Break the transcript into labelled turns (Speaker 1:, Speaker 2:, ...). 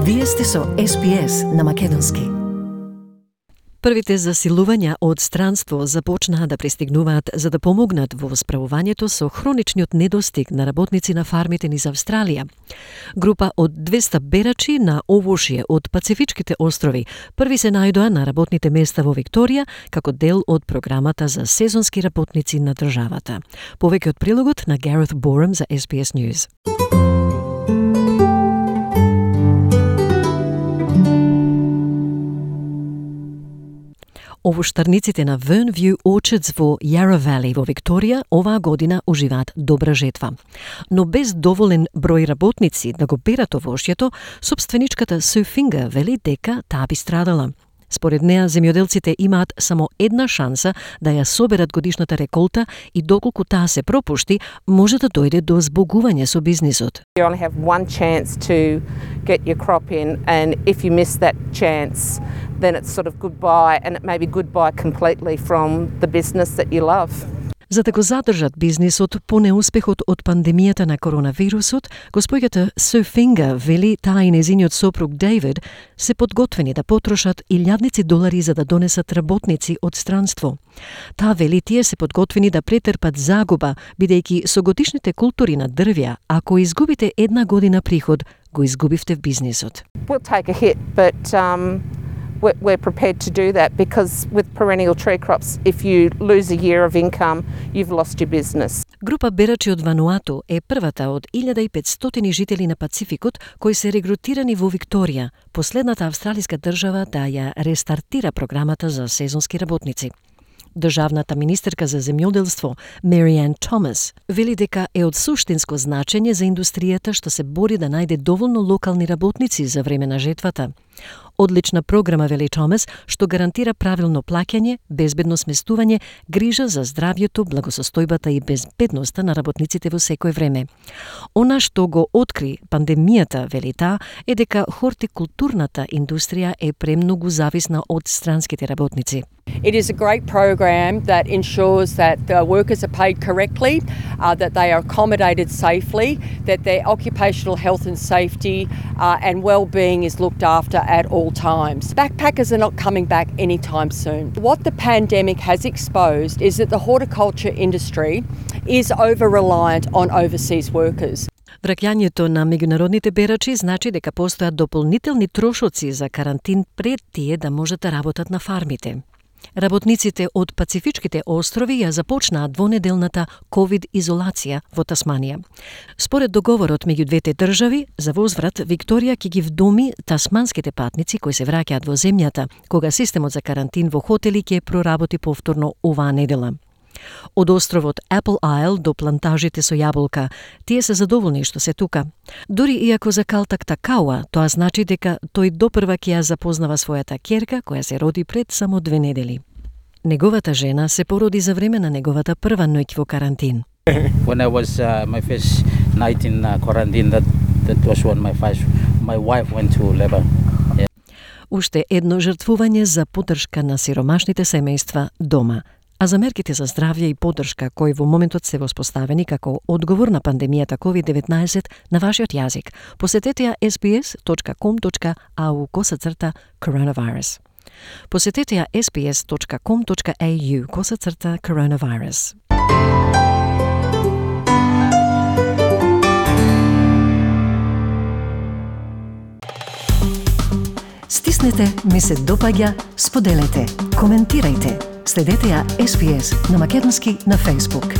Speaker 1: Вие сте со SPS на македонски. Првите засилувања од странство започнаа да пристигнуваат за да помогнат во справувањето со хроничниот недостиг на работници на фармите низ Австралија. Група од 200 берачи на овошје од Пацифичките острови први се најдоа на работните места во Викторија како дел од програмата за сезонски работници на државата. Повеќе од прилогот на Gareth Borum за SBS News. Овоштарниците на Vernview Orchards во Yarra Valley во Викторија оваа година уживаат добра жетва. Но без доволен број работници да го берат овошјето, собственичката Sue Finger вели дека таа би страдала. Според неа, земјоделците имаат само една шанса да ја соберат годишната реколта и доколку таа се пропушти, може да дојде до збогување со бизнисот.
Speaker 2: You only have one chance to get your crop in, and if you miss that chance, then it's sort of goodbye, and it may be goodbye completely from the business that you love.
Speaker 1: За да го задржат бизнисот по неуспехот од пандемијата на коронавирусот, госпоѓата Sue Finger вели таа и незиниот сопруг David се подготвени да потрошат илјадници долари за да донесат работници од странство. Таа вели тие се подготвени да претрпат загуба, бидејќи со годишните култури на дрвја, ако изгубите една година приход, го изгубивте в бизнисот.
Speaker 2: We'll take a hit, but we're prepared to do that because with perennial tree crops, if you lose a year of income, you've lost your business.
Speaker 1: Група берачи од Вануату е првата од 1500 жители на Пацификот кои се регрутирани во Викторија, последната австралиска држава да ја рестартира програмата за сезонски работници. Државната министерка за земјоделство Marianne Thomas вели дека е од суштинско значење за индустријата што се бори да најде доволно локални работници за време на жетвата. Одлична програма, вели Томас, што гарантира правилно плаќање, безбедно сместување, грижа за здравјето, благосостојбата и безбедноста на работниците во секое време. Она што го откри пандемијата, вели таа, е дека хортикултурната индустрија е премногу зависна од странските работници.
Speaker 3: It is a great program that ensures that the workers are paid correctly, that they are accommodated safely, that their occupational health and safety and well-being is looked after at all times. Backpackers are not coming back anytime soon. What the pandemic has exposed is that the horticulture industry is over-reliant on overseas workers.
Speaker 1: Враќањето на меѓународните берачи значи дека постојат дополнителни трошоци за карантин пред тие да можат да работат на фармите. Работниците од Пацифичките острови ја започнаа двонеделната ковид-изолација во Тасманија. Според договорот меѓу двете држави, за возврат Викторија ќе ги вдоми тасманските патници кои се враќаат во земјата, кога системот за карантин во хотели ќе проработи повторно оваа недела. Од островот Apple Isle до плантажите со јаболка, тие се задоволни што се тука. Дури иако за Калтак Такауа, тоа значи дека тој допрва ќе ја запознава својата ќерка која се роди пред само 2 недели. Неговата жена се породи за време на неговата прва ноќ во карантин.
Speaker 4: When I was my first night in quarantine, that was when my wife went to labor. Yeah.
Speaker 1: Уште едно жртвување за поддршка на сиромашните семејства дома. А за мерките за здравје и поддршка кои во моментот се воспоставени како одговор на пандемијата COVID-19 на вашиот јазик, посетете ја sbs.com.au/coronavirus. Посетете ја sbs.com.au/coronavirus. Стиснете, ми се допаѓа, споделете, коментирајте. Следете ја SPS на македонски на Facebook.